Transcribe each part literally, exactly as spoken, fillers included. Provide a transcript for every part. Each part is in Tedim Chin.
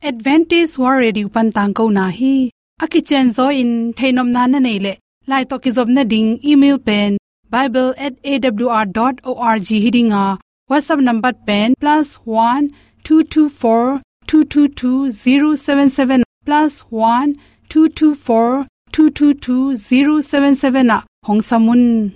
Adventist World Radio pan tangkona hi. A kicianzaw in theihnopna na neih leh, lai tawh kizopna ding email pen bible at A W R dot org hi ding a, WhatsApp number pen plus one two two four two two two zero seven seven, plus one two two four two two two zero seven seven ah hong sam un.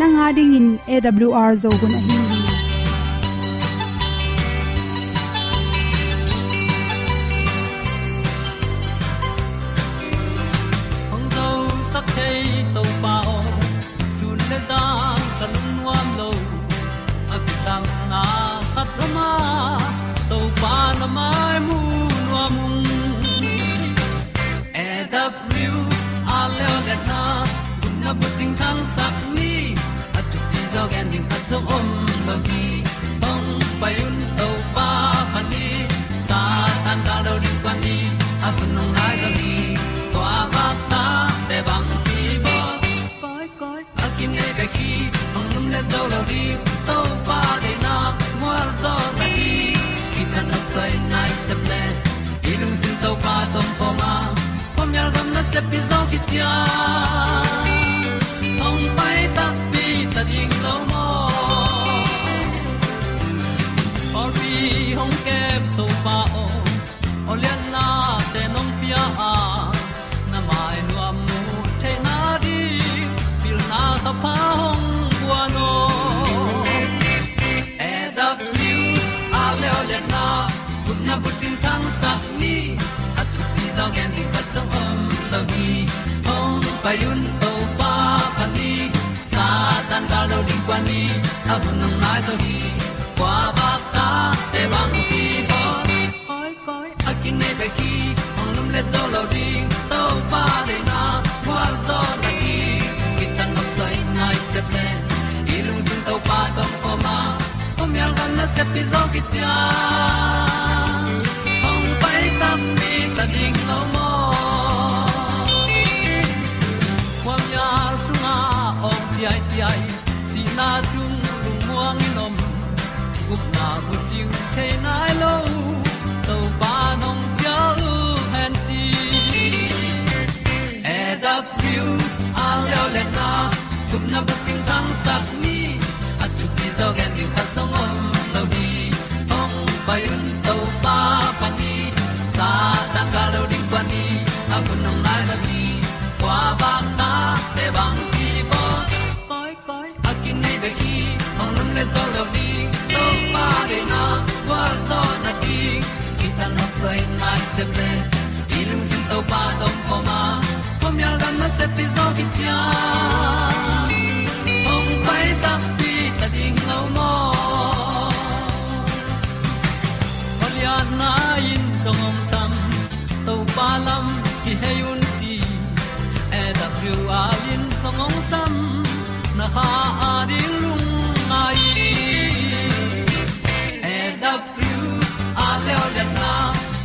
Nang a dingin A W R Zo hun ahi hi. Hong zosak thei Topa aw, sun le zan ka lungnuam lo. A kisangna khat lam ah Topa na mai mu nuam ung. A W R Leo Liatna, gupna bucing thangsak ni. A thupi zaw gen ding khat zong om lo hi. Hong pai un Topa phat ni. Satan gal do ding kuan ni. A hun hong nai zaw hi. Tua bak ta te bang hi bawl. Koi, koi, a kinei bek hi, hong lumlet zo lo ding. Topa deihna mual zaw na hi. Kitang a soi nai sep le, i lungsim Topa tawh om khawm a, khuamial gam nasep hi zaw khit ciang, hong pai takpi ta ding lo maw. Pawlpi hong kem Topa aw, aw liatnate nong pia a, na mai nuam mu theihna ding pilna thapha hong guan aw. A W R Leo Liatna, gupna bucing thangsak ni. A thupi zaw gen ding khat zong om lo hi. Hong pai un Topa phat ni. Satan gal do ding kuan ni. A hun hong nai zaw hi. Kua bak ta te bang hi bawl. Koi, koi, a kinei bek hi, hong lumlet zo lo ding. Topa deihna mual zaw na hi. Kitang a soi nai sep le, i lungsim Topa tawh om khawm a, khuamial gam nasep hi zaw khit ciang, hong pai takpi ta ding lo maw. Khuamial sungah awng ciaiciai, sihna sung lungmuang in om, gupna bucing thei nai lo, Topa nong cial hen ci. A W R Leo Liatna, gupna bucing thangsak ni. A thupi zaw gen ding khat zong om lo hi. Hong pai un Topa phat ni. Satan gal do ding kuan ni. A hun hong nai zaw hi. Kua bak ta te bang hi bawl. Koi, koi, a kinei bek hi, hong lumlet zo lo ding. Topa deihna gualzawhna ding, kitang a soi nai sep le, i lungsim Topa tawh om khawm a, khuamial gam nasep hi zaw khit ciang, hong pai takpi ta ding lo maw. Khualiatna in zong hong sam, Topa lam kihei un ci. A W R in zong hong sam, na kha a ding lungngai. A W R Leo Liatna,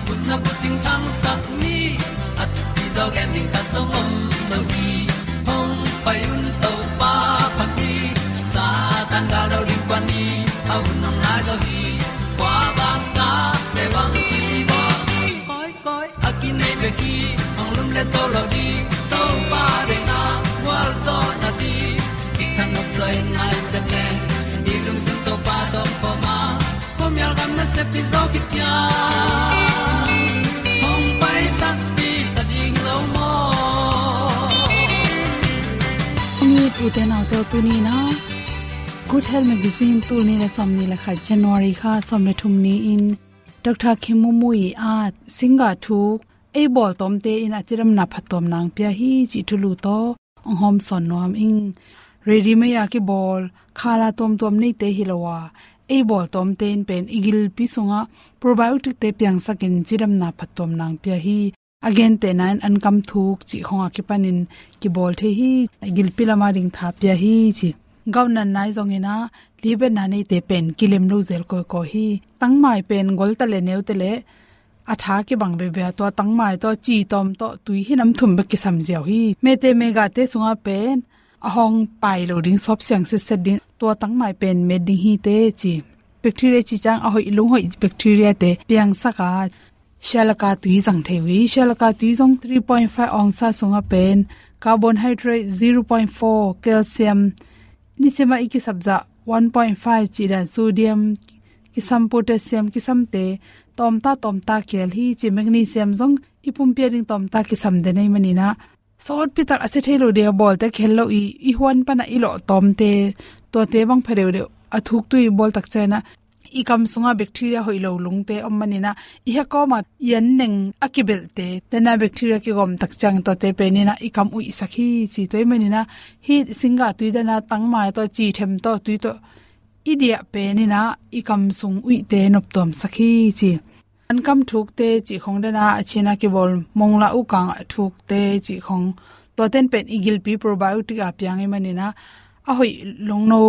gupna bucing thangsak ni. A thupi zaw gen ding khat zong om lo hi. Hong pai un Topa phat ni. Satan gal do ding kuan ni. A hun hong nai zaw hi. Kua bang ta te bang hi bawl. Koi, koi, a kinei bek hi, hong lumlet zo lo ding. Topa deihna gualzawhna ding, kitang a soi nai sep le, i lungsim Topa tawh om khawm a, khuamial gam nasep hi zaw khit ciang, hong pai takpi ta ding lo maw. Hong it ute naute aw, tuni in ah Good Health Magazine, tul nih le sawmnih le khat, January kha sawm le thum ni-in Doctor Kim Mui Mui a singgah thuk, ei bawltawmte in a cidamna phattuamna hong pia hi cih thulu tawh hong hawmsawn nuam ing. ready-made a kibawl khala tuamtuam neite hi lo a, ei bawl tuamte in pen i gilpi sungah probiotic-te piangsakin cidamna phattuam nang pia hi. A gentehna in ankam thuk cih khong a kipanin kibawl thei hi. Gilpi lama ding tha pia hi ci. Gout natna i zongin ah, libetna neite pen kilem lo zel kawikawi hi. Tangmai pen gol ta le neu te le a tha kibang bebia, tua tangmai tawh, ci tawm tawh, tui hi nam thum bek kisam ziau hi. Mete megate sungah pen a hong pai lo ding, sawp siang sitset ding, tua tangmai pen met ding hi teh ci. Bacteria ci ciang a hoih, lunghoih bacteria-te piangsak a, sialaka tui zang thei uh hi. Sialaka tui zong three point five ongsa sungah pen carbohydrate zero point four, calcium, nisimah i kisap zah one point five cih dan, sodium, kisam potassium, kisamte tawmta tawmta kihel hi ci. Magnesium zong i pumpi a ding tawmta kisam den ahih manin ah, sawtpi tak a sia thei lo ding a bawlte kihel lo i, i huan panah i lawh tawmte, tuate bang pha deuhdeuh a thuk tui bawl tak ciangin ah, i kam sungah bacteria hoih lo lungte om manin ah, i hia kawmah i an neng a kibelhte, dena bacteria kigawm tak ciangin tuate penin ah i kam uihsak hi ci. Tua ahih manin ah, hih singgah tui dena tangmai tawh, ci them tawh, tui tawh i diah penin ah i kam sung uihte noptuamsak hi ci. Ankam thukte cih khong dena, a Chin a kibawl mongla ukang thukte cih khong, tuaten pen i gilpi probiotic a piang ahih manin ah, a hoih lungno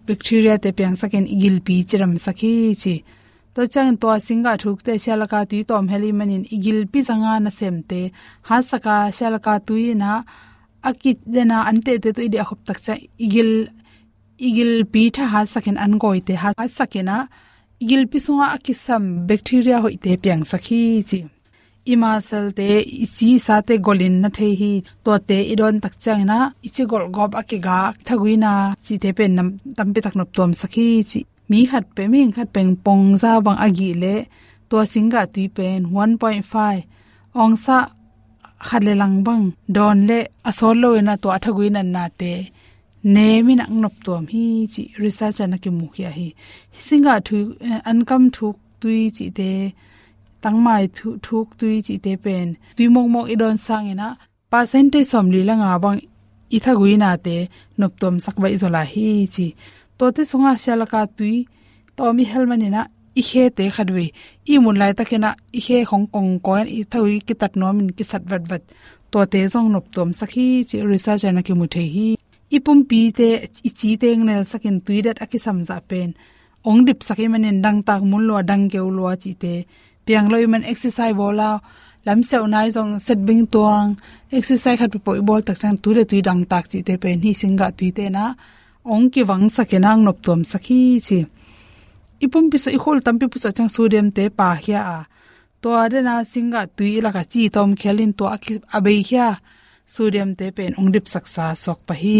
bacteria-te piangsakin i gilpi cidamsak hi ci. Tua ciangin tua singgah thukte sialaka tui tawm hel ahih manin i gilpi zanga nasemte hatsak a, sialaka tui in ah a kidena antehte tawh i diah khop tak ciang i gil, i gilpi tha hatsakin, an gawite hatsakin ah, i gilpi sungah a kisam bacteria hoihte piangsak hi ci. I muscle-te, i ci i sate golin na thei hi. Tuate i dawn tak ciangin ah, i ci golhgawp a kigak, thaguina cihte pen nam tampi tak noptuamsak hi ci. Mi khat pen, mihing khat pen pongza bang a gih leh, tua singgah tui pen one point five ongsa khat le lang bang dawn leh a sawt loin ah tua a thaguina nate nemin ah noptuam hi ci, research ah na kimukhia hi. Singgah thu, eh, ankam thuk tui cihte, tangmai thu, thuk tui cihte pen tui mawkmawk i dawn sangin ah, percentage sawmli le nga bang i thaguinate noptuamsak baih zaw lai hi ci. Tuate sungah sialaka tui tawm i hel manin ah, i khete khatvei i muh laitakin ah, i khe khong kongkawi in i thagui kitat nuamin kisat vatvat, tuate zong noptuamsak hi ci, research ah na kimu thei hi. I pumpite, i cite hong nelsakin tui dat a kisam zah pen hong dipsak ahih manin dangtak mun lua, dang keu lua cihte piang lo ahih man, exercise bawl a, lamsiauhna i zong, set bing tuang, exercise khat peuhpeuh i bawl tak ciang tui le tui dangtak cihte pen hih singgah tuite in ah hong kivangsakin ah hong noptuamsak hi ci. I pumpi sung, i khua tampi pusuah ciang sodium-te paikhia a, tua dena singgah tui i lakah ci tawm khialin tua a ki, a beikhia sodium-te pen hong dipsaksa suak pah hi.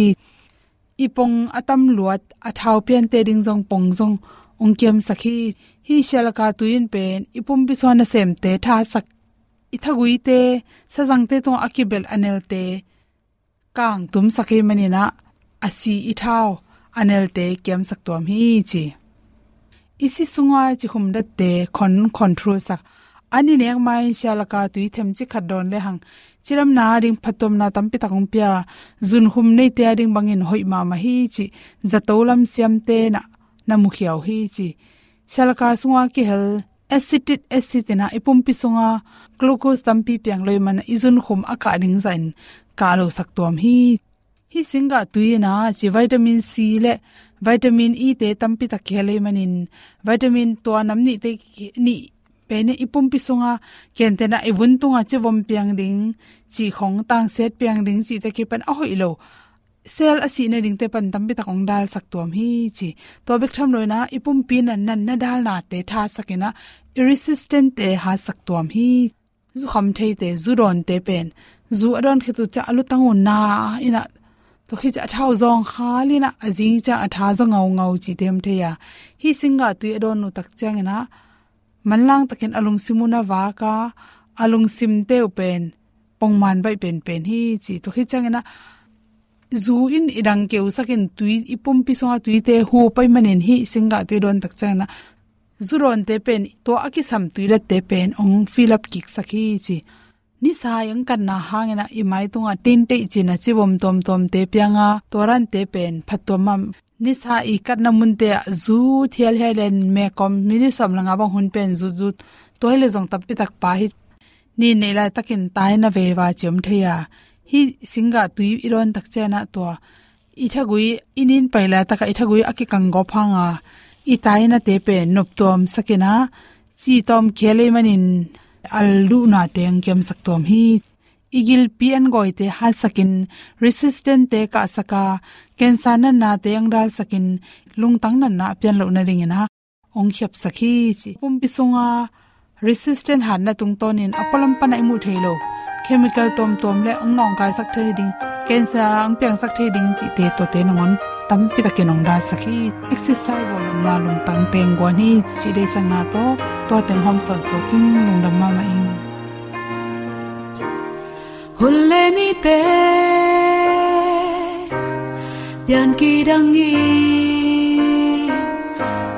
I pong a tam luat, a thau piante ding zong pong zong hong kiamsak hi. Hih sialaka tui in pen i pumpi sung a nasemte thasak, i thaguite, sazangte tungah a kibelh a nelte kangtumsak ahih manin ah, a si i thau, a nelte kiamsak tuam hi ci. I si sunga cikhum datte khon control sak. An i nek ma-in sialaka tui themcik khat dawn lehang, cidamna ading phattuamna tampi tak hong pia, zunkhum neite ading bangin hoih mahmah hi ci, zato lam siamte na, na mukhia uh hi ci. Sialaka sunga kihel acetic acid in ah i pumpi sunga glucose tampi piang lo ahih man, i zunkhum a kah ding zahin kah losak tuam hi. Hih singgah tui in ah ci, vitamin C le vitamin E-te tampi tak kihel ahih manin, vitamin tua nam nihte ki, nih pen i pumpi sunga kenten ah i vun tunga civom piang ding, ci khong tangsiat piang ding cihte kipan a hoih lo, cell a sihna dingte pan tampi tak hong dalsak tuam hi ci. Tua bek tham loin ah i pumpi natna, natna dalnate thasakin ah, i resistant-te hatsak tuam hi. Zukham theite, zu dawnte pen, zu a dawn khit uh ciang a lutang uh na in ah, tua khit ciang a thau zawng khalin ah, a zing ciang a tha zaw ngaungau cihte om thei a. Hih singgah tui a dawn uh tak ciangin ah, manlang takin a lungsim uh na vak a, a lungsimte uh pen pongman baih penpen hi ci. Tua khit ciangin ah, zu in i dang keusakin tui, i pumpi sunga tuite hu pai manin hih singgah tui dawn tak ciangin ah, zu dawnte pen, tua a kisam tui datte pen hong fill up kiksak hi ci. Nisa i ang katna hangin ah i mai tungah tintei cin a civom tuamtuamte piang a, tua dante pen phattuam mah. Nisa i katna munte ah zu thialhial in mekom minute sawm le nga bang hun pen zutzut. Tua hi le zong tampi tak pa hi. Nin neih laitakin tai na veiva ci om thei a, hih singgah tui i dawn tak ciangin ah tua i thagui, i nin pai laitakah i thagui a kikang gawp hang a, i tainate pen noptuam sak in ah, ci tawm khia lei manin al duhnate ang kiamsak tuam hi. I gilpi an gawite hatsak in, resistant-te kahsak a, cancer natnate ang dalsak in, lungtang natna a pian loh nadingin ah hong khiapsak hi ci. Pumpi sunga resistant hatna tungtawnin a pualam pan a i muh thei lo chemical tuamtuam le ang nawngkaisak thei ding, cancer ang piangsak thei ding cihte, tuate nangawn tampi takin hong dalsak hi. Exercise bawl lomna lungtang teng guan hi cih deihsakna tawh tua teng hawm sawnsuak ing. Lungdam mahmah ing. Hun le nite pian kidang in,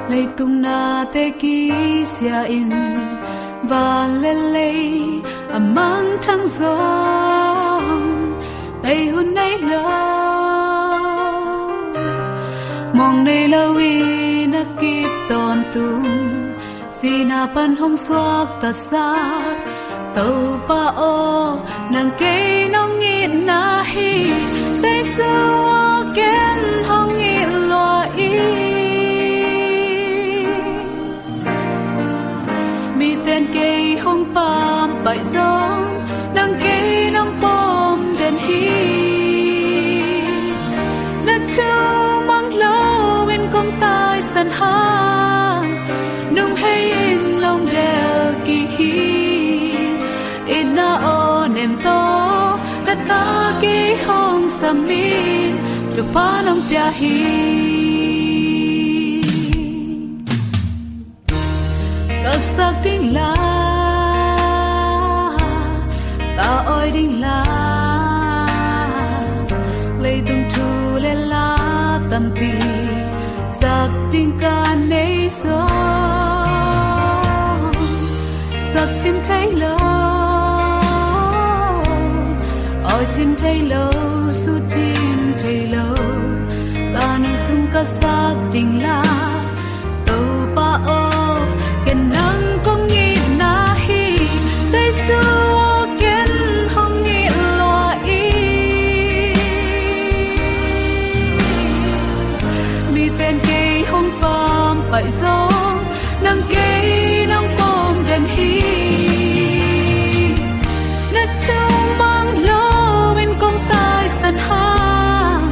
leitung nate kisia in, van le lei a mangthang zong bei hun nei lo. Mawng nei lo in a kip tawntung, sihna pan hong suaktasak Topa aw, nang kei nong itna hi. Jesu aw, ken hong it lua ing. Miten kei hong pampaih zong, nang kei nong pawm den hi. Na thu mang loin kong taisan hang, nung hei in long del kik hi. Itna aw nem tawh, na ta kei hong sam in, thupha nong pia hi. Ka sak ding la, ka awi ding la, leitung thu le la tampi sak ding ka nei zong, sak cin thei lo, awi cin thei lo, su cin thei lo, ka nu sung ka sak ding la. Topa aw, ken nang kong itna hi. Jesu aw, ken hong it lua ing. Miten kei hong pampaih zong, nang kei nong pawm den hi. Na thu mang loin kong taisan hang,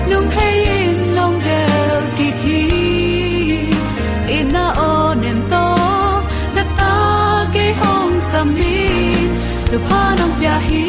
nung hei in long del kik hi. Itna aw nem tawh, na ta kei hong sam in, thupha nong pia hi.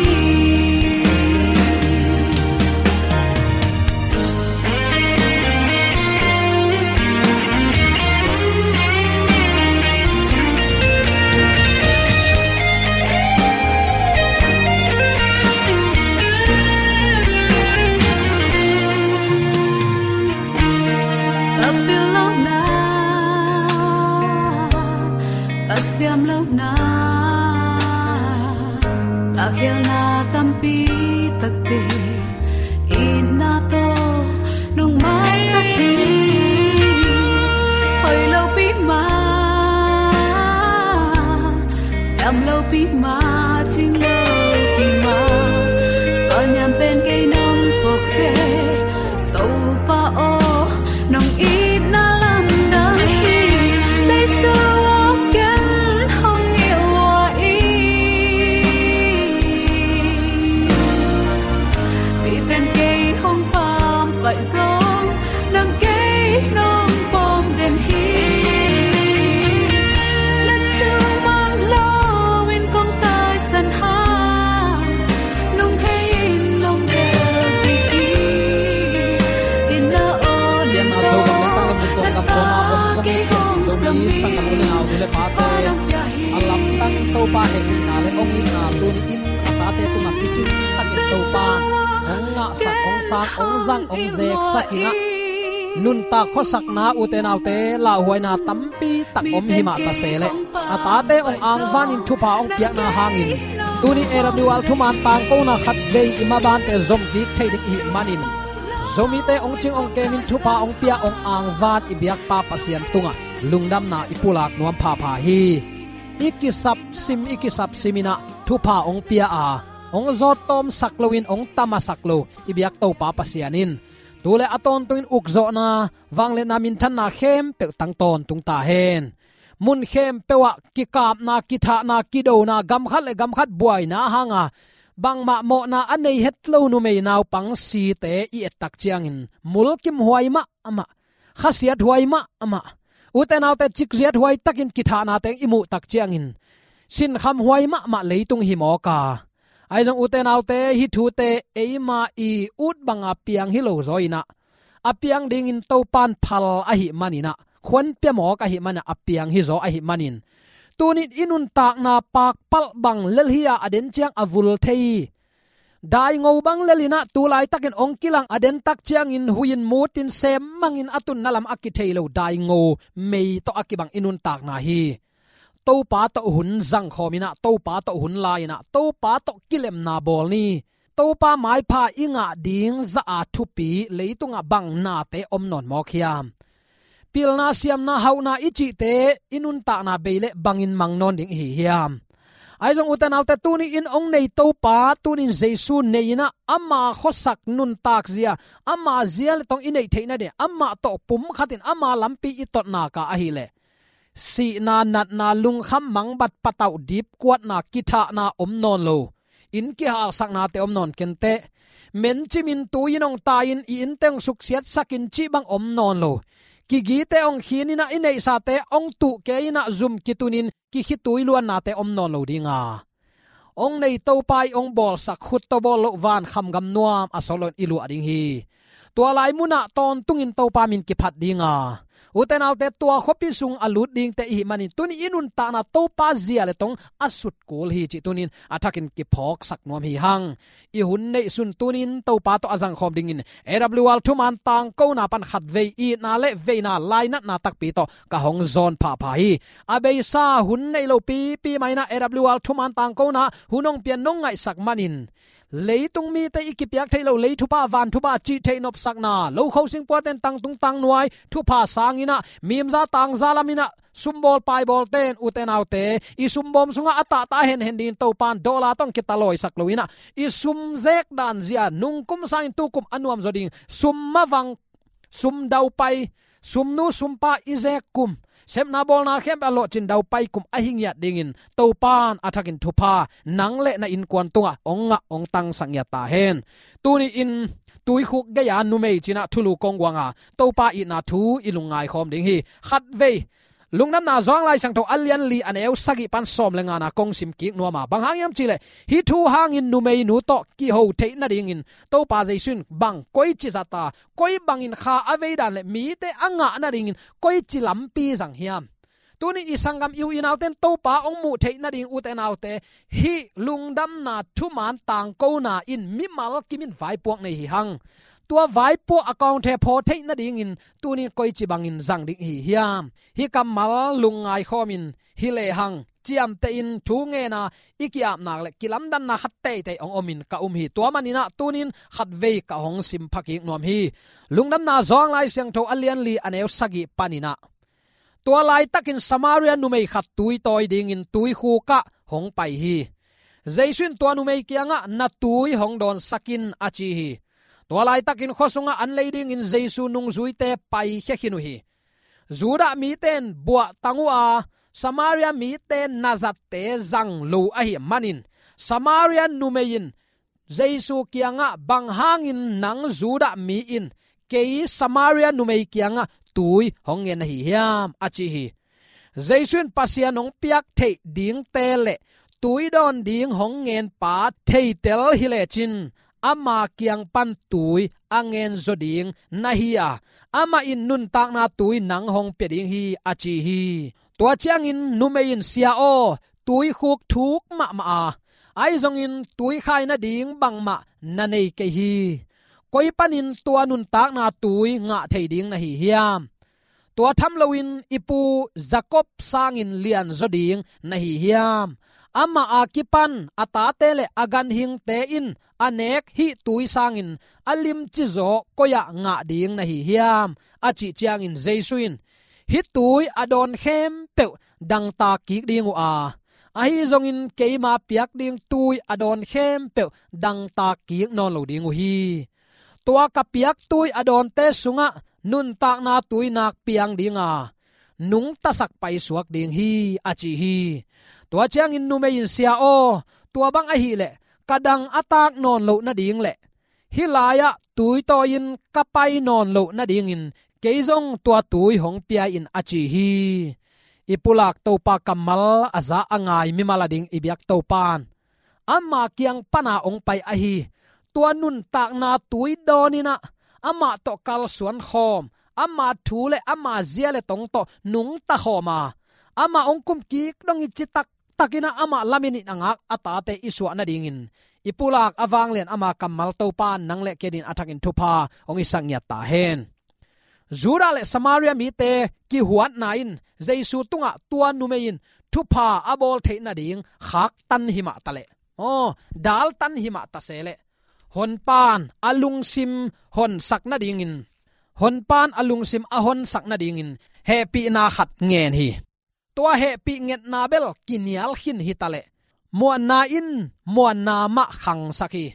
Ka pil lohna, ka siam lohna, ka khialna tampi takte, itna tawh nong maisak hi. Hoih lopi mah, siam lopi mah, cing lopi mah, ka niam pen kei nong phawk seh. Topa aw, nong itna lamdang hi. Jesu aw, ken hong it lua ing. Miten kei hong pampaih zong, nang kei nong pawm den hi. Na thu mang loin kong taisan hang, nung hei in long del kik hi. Itna aw nem tawh, na ta kei hong sam in, thupha nong pia hi. A lamdang Topa hehpihna le hong itna tuni in a tate tungah kicing takin Topa hong ngahsak, hong sang, hong zang, hong zeksak in ah, nuntak khuasakna, ute naute lauhuaina tampi tak om hi mah ta se leh, a tate hong angvanin thupha hong piakna hangin Tuni A W R thuman tangkona khatvei i mabante zom kik thei ding i hih manin, Zomite hong cing hong kemin thupha hong pia hong angvan i biakpa Pasian tungah lungdamna i pulak nuam phapha hi. I kisapsim i kisapsim inah thupha hong pia a, hong zawt tawmsak loin hong tamasak lo i biak Topa Pasian in tu le a tawntungin ukzawhna, vangliatna, minthanna khempeuh tang tawntung ta hen. Mun khempeuh ah kikapna, kithahna, kidona, gam khat le gam khat buaina hanga bangmah mawhna a nei het lo numei naupang site i ettak ciangin mulkimhuai mahmah, khasiathuai mahmah, ute naute cikziathuai takin kithahnate i muhtak ciangin sinkhamhuai mahmah leitung hi mawk a. Ahi zong ute naute, hih thute eima i ut banga piang hi lo zaw inah, a piang dingin Topan phal ahih maninah, khuanpia mawk ahih maninah a piang hi zaw ahih manin, tunin i nuntakna pakpalh bang lel hi-a a den ciang a vul thei, daingo bang lelinah tu laitakin hong kilang a dentak ciangin huih in mutin sem mangin a tunna lam a kithei lo daingo mei tawh a kibang i nuntakna hi. Topa tawh hun zangkhawm inah, Topa tawh hun la inah, Topa tawh kilemna bawl ni. Topa maipha i ngah ding zaha thupi leitungah bang nate om nawn mawk hiam? Pilna, siamna, hauhna i cihte i nuntakna bei le bangin mang nawn ding i hi hiam? Ahi zong ute naute, tuni in hong nei Topa, tunin Jesu nei inah ama khuasak nuntak zia, ama zia le tawng i neih theihna ding, amah tawh pumkhatin ama lampi i totnaka ahileh sihna, natna, lungkham mangbat, patauh, dipkuatna, kithahna om nawn lo. Inn kihalsaknate om nawn kenteh. Mencimin tui in hong tai-in i innte hong suksiatsakin cih bang om nawn lo. Kigite hong khin inah i neihsate hong tuh kei inah zum kitunin kikhitui luannate om nawn lo dinga, hong nei Topa i hong bawlsak khut tawh bawl loh vankham gam nuam a sawt loin i luah ding hi. Tua lai munah tawntungin Topa min kiphat dinga, ute naute, tua khuapi sung a lut dingte i hih manin tuni i nuntakna Topa zia le tawng a sutkul hi cih tunin a thakin kiphawksak nuam hi hang. I hun neihsun tunin Topa tawh a zangkhawm dingin A W R thuman tangkona pan khatvei itna le veina lainatna takpi tawh ka hong zawn phapha hi. A beisa hun neih lo pipi mah inah A W R thuman tangkona hun hong pian nong ngaihsak manin, leitung mite i kipiak theih lo lei thupha, van thupha cih theih nopsakna, lo kho singpuaten tangtung tangnuai thupha sanginah, mimza tangza laminah sumbawl paibawlten, ute naute, i sumbawm sungah a tahtah henhen dingin Topan dollar tawh hong kitalawisak lo inah, i sum zekdan zia nungkum sangin tukum a nuamzaw ding, sum mavang, sum daupai, sumnu sumpa i zek kum, sepna bawlna khempeuh a lawhcin daupai kum ahi ngiat dingin Topan a thakin thupha nang le na innkuan tungah hong ngah hong tangsak ngiat ta hen. Tuni-in tuikhuk gei-a numei cinah thulu kong guanga Topa itna thu i lungngaikhawm ding hi. Khatvei Lungdamna Johan Lai Siangtho a lian li a neu sagih pan sawm le ngana kong sim kik nuama, bang hang hiam cihleh, hih thu hangin numeinu tawh kiho theih nadingin Topa Jesu in bang koici zata, koi bangin kha a veidan le mite a ngah nadingin koici lampi zang hiam? Tuni i sanggam i u i nauten Topa hong muh theih nading, ute naute, hih lungdamna thuman tangkona in mimal kimin vaipuak nei hi hang. Tua vaipuak a kawngthe phaw theih nadingin tunin koici bangin zang ding hi hiam? Hih kammal lungngai khawmin hi lehang ciamtehin thu ngena i ki-apnak le kilamdanna khat teitei hong omin ka um hi. Tua maninah tunin khatvei ka hong sim phakik nuam hi. Lungdamna Johan Lai Siangtho a lian li a neu sagih paninah, tua laitakin Samaria numei khat tui tawi dingin tuikhukah hong pai hi. Jesu in tua numei kiangah, "Na tui hong dawnsak in," a ci hi. Tua laitakin khua sungah an lei dingin Jesu nungzuite paikhia khin uh hi. Judah mite in buahtang uh a, Samaria mite nazatte zang lo ahih manin, Samaria numei in Jesu kiangah, "Bang hangin nang Judah mi in kei Samaria numei kiangah tui hong ngen na hi hiam?" a ci hi. Jesu in Pasian hong piak theih dingte le tui dawn ding hong ngenpa theitel hi lecin, ama kiang pan tui a ngen zaw ding na hi a, amah in nuntakna tui nang hong pia ding hi, a ci hi. Tua ciangin numei in, "Sia aw, tuikhuk thuk mahmah a, ahi zongin tuikhai nading bangmah na nei kei hi. Koi panin tua nuntakna tui ngah thei ding na hi hiam? Tua tham loin i pu Jacob sangin lianzaw ding na hi hiam?" Amah a kipan a tate le a ganhingte in a nek hih tui sangin a limci zaw koi-ah ngah ding na hi hiam? A cih ciangin Jesu in, hih tui a dawn khempeuh dangtak kik ding uh a, ahi zongin keima piak ding tui a dawn khempeuh dangtak kik nawn lo ding uh hi. Tua ka piak tui a dawnte sungah nuntakna tui nak piang ding a, nungtasak paisuak ding hi, a ci hi. Tua ciangin numei in, Sia aw, tua bang ahih leh ka dang a tak nawn loh nading le hih lai-ah tui tawi-in ka pai nawn loh nadingin kei zong tua tui hong pia in, a ci hi. I pulak Topa kammal a za a ngai mimal ading i biak Topa'n ama kiang pana hong pai ahi tua nuntakna tui dawn in ah amah tawh kalsuan khawm, ama thu le ama zia le tong tawh nungta khawm a, amah hong kum kik dong i citak takin ah amah lamin in a ngak a tate i suah nadingin i pulak a vanglian ama kammal Topa'n nang le kei adingin a thakin thupha hong hisak ngiat ta hen. Judah le Samaria mite kihuatna in Jesu tungah tua numei in thupha a bawl theih nading khaktan hi mah ta leh, aw, daltan hi mah ta se leh, honpa'n a lungsim honsak nadingin, honpa'n a lungsim a honsak nadingin hehpihna khat ngen hi. Tua hehpih ngetna bel kinial khin hi ta leh, muanna in muanna mah khangsak hi.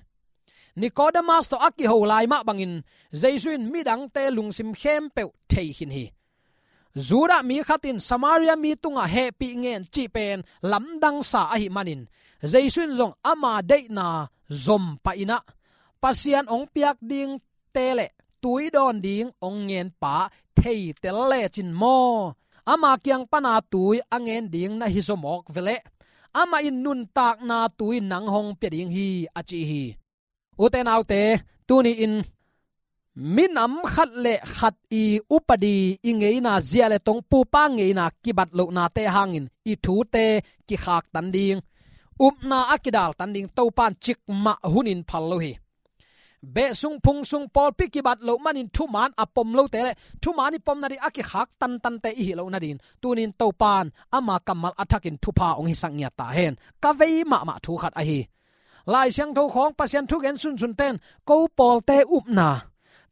Nikodemas tawh a kiho lai mah bangin Jesu in midangte lungsim khempeuh thei khin hi. Judah mi khat in Samaria mi tungah hehpih ngen cih pen lamdang sa ahih manin Jesu in zong ama deihna zom pah in ah, Pasian hong piak ding te le tui dawn ding hong ngen pa theitel lecin maw, ama kiang pana tui a ngen ding na hi zaw mawk ve leh, amah in nuntakna tui nang hong pia ding hi, a ci hi. Ute naute, tuni-in minam khat le khat i upadi, i ngeina, zia le tong, pupa ngeina kibat lohnate hangin i thute kikhaktan ding, upna a kidaltan ding Topa'n cikmah hunin phal lo hi. Beh sung phung sung pawlpi kibat loh manin thuman a pom lote le thuman i pom nading a kikhak tantante i hih loh nadingin tuni-in Topa'n ama kammal a thakin thupha hong hisak ngiat ta hen. Ka vei mahmah thu khat ahi. Lai Siangtho khawng Pasian thugen sunsunte'n ko pawlte upna,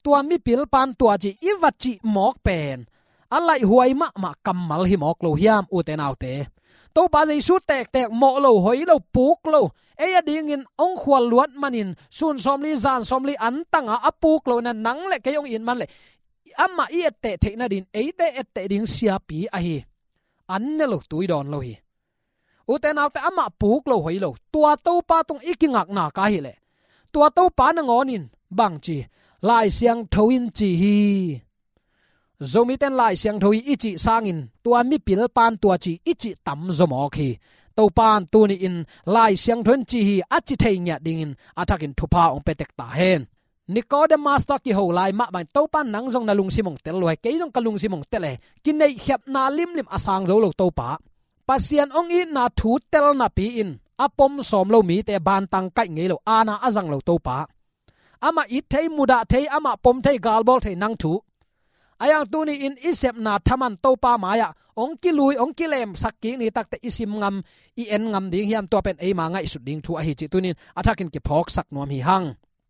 tua mipilpa'n tua ci i va cih mawk pen a laihhuai mahmah kammal hi mawk lo hiam, ute naute? Topa Jesu tektek, mawh lo, hoi lo, puk lo, ei adingin hong khual luat manin sun sawmli zan sawmli antanga a puk lo in ah nang le kei hong it man leh amah i etteh theih nadingin eite etteh ding siapi ahi. An ne lo, tui dawn lo hi. Ute naute, amah puk lo, hoi lo, tua Topa tung i kingakna ka hih leh, tua Topa nangawn in bang ci? Lai Siangtho in ci hi. Zomite'n Lai Siangtho hi i cih sangin tua mipilpa'n tua ci i cih tam zaw mawk hi. Topa'n tuni-in Lai Siangtho in ci hi a ci thei ngiat dingin a thakin thupha hong pia tek ta hen. Nikodemas tawh a kiho lai mah bangin Topa'n nang zong na lungsim hong tel lo hi, kei zong ka lungsim hong tel hi. Kineihkhiatna limlim a sang zo lo Topa, Pasian hong itna thu tel napi-in a pom sawm lo mite bantang kaih ngei lo, aana a zang lo Topa, amah it thei, mudah thei, amah pom thei, galbawl thei nang thu. Ahi hang tuni-in i sepna thaman Topa mai-ah hong kilui, hong kilemsak kik ni takteh i sim ngam, i en ngam ding hiam? Tua pen eima ngaihsut ding thu ahi cih tuni-in a thakin kiphawksak nuam hi hang.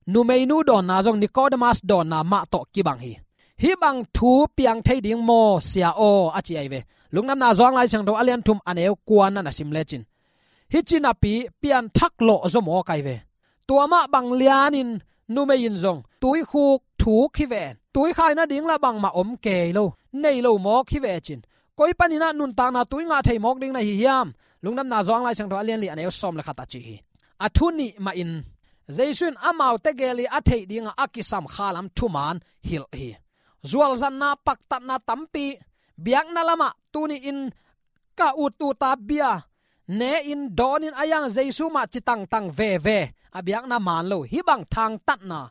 Numeinu dawnna zong Nikodemas dawnna mah tawh kibang hi. Hih bang thu piang thei ding maw, Sia aw, a ci ahi ve. Lungdamna Johan Lai Siangtho a lian thum, a neu kuana na sim lecin, hih ci napi pianthak lawh zaw mawk ahi ve. Tua mah bang lianin numei in zong tuikhuk thuk hi ven, tuikhai nading lah bangmah om kei lo, nei lo mawk hi ve cin, koi panin ah nuntakna tui ngah thei mawk ding na hi hiam? Lungdamna Johan Lai Siangtho a lian li, a neu sawm le khat ah ci hi. A thu nih mahin Jesu in amaute gel i a theih dingah a kisam khalam thuman hilh hi. Zualzanna, paktatna tampi, biakna lamah tuni-in ka ut uta bia ne-in, dawnin, a yang Jesu mah ci tangtang veve, a biakna man lo, hih bang thangtatna.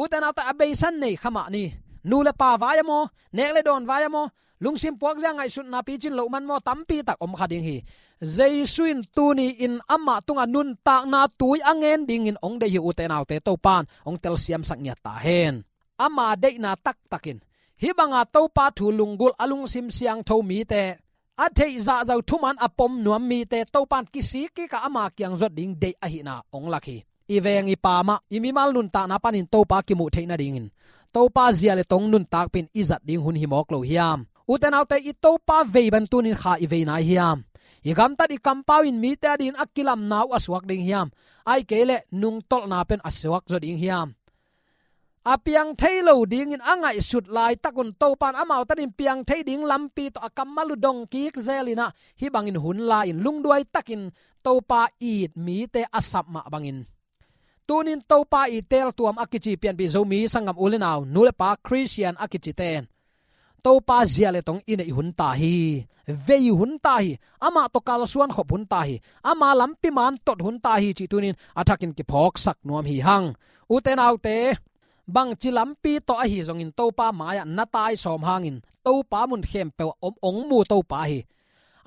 Ute naute, a beisa nei kha mah ni. Nu le pa vai a maw, nek le dawn vai a maw, lungsim puakzia, ngaihsutna picin loh man maw, tampi tak om kha ding hi. Jesu in tuni-in amah tungah nuntakna tui a ngen dingin hong deih hi, ute naute, Topa'n hong telsiamsak ngiat ta hen. Ama deihna taktakin hih banga Topa thu lunggulh a lungsim siangtho mite a theih zahzah uh thuman a pom nuam mite Topa'n kisik kik a ama kiang zot ding deih ahihna hong lak hi. I veng i pam ah i mimal nuntakna panin Topa kimuh theih nadingin Topa zia le tong nuntakpih in i zat ding hun hi mawk lo hiam? Ute naute, i Topa vei bang tunin kha i vei nai hiam? I gamtat i kampau in mite adingin a kilamna uh a suak ding hiam? Ahih kei leh nungtolhna pen a suak zaw ding hiam? A piang thei lo dingin a ngaihsut laitak un Topa'n amau tanin piang thei ding lampi tawh a kammal uh dong kik zel in ah, hih bangin hun la-in lungduai takin Topa it mite a sap mah bangin, tunin Topa it teeltuam a kici pianpih Zomi sanggam u le nau, nu le pa, Khristian a kicite in Topa zia le tong i neih hun ta hi. Vei hun ta hi. Amah tawh kalsuan khop hun ta hi. Ama lampi man tot hun ta hi cih tunin a thakin kiphawksak nuam hi hang. Ute naute, bangci lampi tawh ahi zongin Topa mai-ah na tai sawm hangin Topa mun khempeuh ah om, hong mu Topa hi.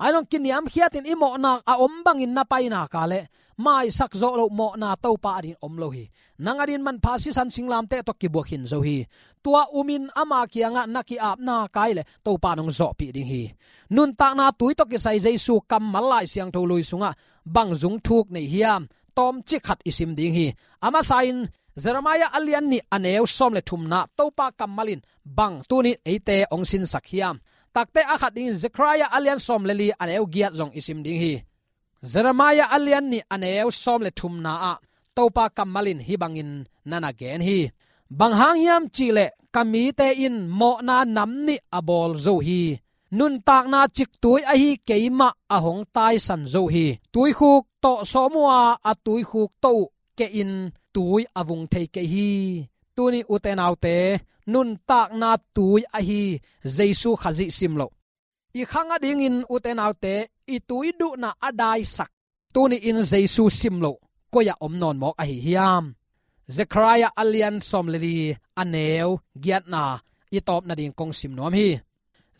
Ahi zong kiniamkhiatin i mawhna a om bangin na pai nak leh maisak zawh loh mawhna Topa adingin om lo hi. Nang adingin manpha sisan singlamteh tawh kibuak khin zo hi. Tua umin ama kiangah na ki-ap nak leh Topa'n hong zawhpih ding hi. Nuntakna tui tawh kisai Jesu kammal Lai Siangtho lui sungah bang zung thuk nei hiam? Tawmcik khat i sim ding hi. A masa-in Jeremiah a lian nih a neu sawm le thumna Topa kammal in bang tunin eite hong sinsak hiam? Takte a khat dingin Zechariah a lian sawm le li a neu giat zong i sim ding hi. Jeremiah a lian nih a neu sawm le thumna ah Topa kammal in hih bangin na na gen hi. Bang hang hiam cih leh ka mite in mawhna nam nih a bawl zo hi. Nuntakna ciktui ahi keimah a hong taisan zo hi. Tuikhuk tawh sawm uh a, a tuikhuk tawh uh keh in tui a vung thei kei hi. Tuni ute naute, nuntakna tui ahi Jesu Khazih sim loh, i khang adingin ute naute, i tui duhna a daisak, tuni-in Jesu sim loh koi-ah om nawn mawk ahi hiam? Zechariah a lian sawm le li a neu giatna i tawp nading kong sim nuam hi.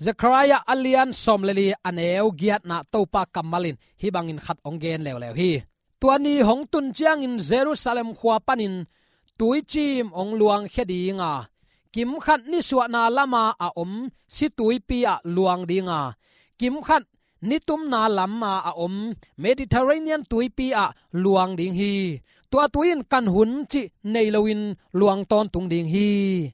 Zechariah a lian sawm le li a neu giatna Topa kammal in hih bangin khat hong gen leuleu hi. Tua ni hong tun ciangin Jerusalem khua panin tuicim hong luangkhia ding a, kimkhat nisuahna lama a om situipi ah luang ding a, kimkhat nitumna lama a om Mediterranean tuipi ah luang ding hi. Tua tui in kan hun cih nei loin luang tawntung ding hi.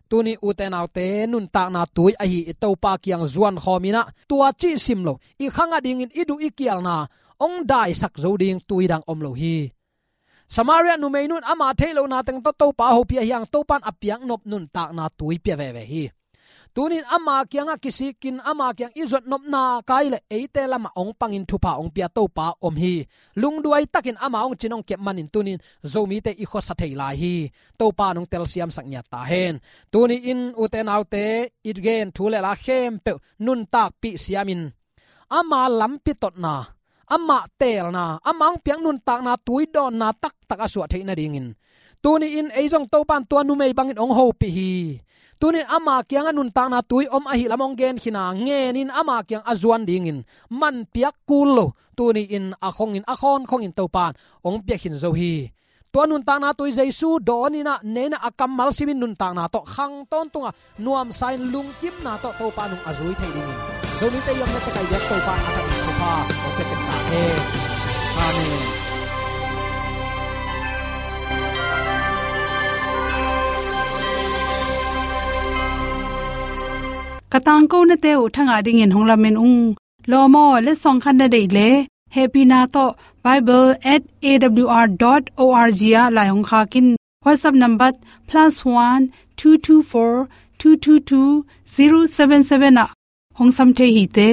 Tuni ute naute, nuntakna tui ahi i Topa kiang zuan khawm in ah, tua cih sim lo, i khang adingin i duh i kialna hong daisak zo ding tui dang om lo hi. Samaria numei nu in ama theih lohna teng tawh Topa hopih ahih hang Topa'n a piaknop nuntakna tui pia veve hi. Tunin ama kiangah kisikin ama kiang i zuat nop nak leh eite lamah hong pangin thupha hong pia Topa om hi. Lungduai takin ama hong cin hong kep manin tunin Zomite i khuasa thei lai hi. Topa'n hong telsiamsak ngiat ta hen. Tuni-in ute naute, i gen thu le la khempeuh nuntakpih siamin ama lampi totna, amah teelna, amah hong piak nuntakna tui dawnna taktak a suah theih nadingin, tuni-in ei zong Topa'n tua numei bangin hong hopih hi. Tunin ama kiangah nuntakna tui om ahih lam hong gen khin a, ngenin ama kiang a zuan dingin man piak kul lo, tuni-in a khongin, a khawnkhongin Topa'n hong pia khin zo hi. Tua nuntakna tui Jesu dawn in ah, nei in ah, a kammal simin nuntakna tawh khang tawntung a, nuamsa-in lungkimna tawh Topa nung a zui thei dingin Zomite i omna tawh kai biak Topa a thakin thupha hong pia tek ta hen. Amen. Ka tangkonate uh thangah dingin hong lamen ung. Lawm aw, letsong khat na deih leh hehpihna tawh bible at A W R dot O R G ah lai hong khak in. WhatsApp number plus one two two four two two two zero seven seven ah hong sam thei hi te.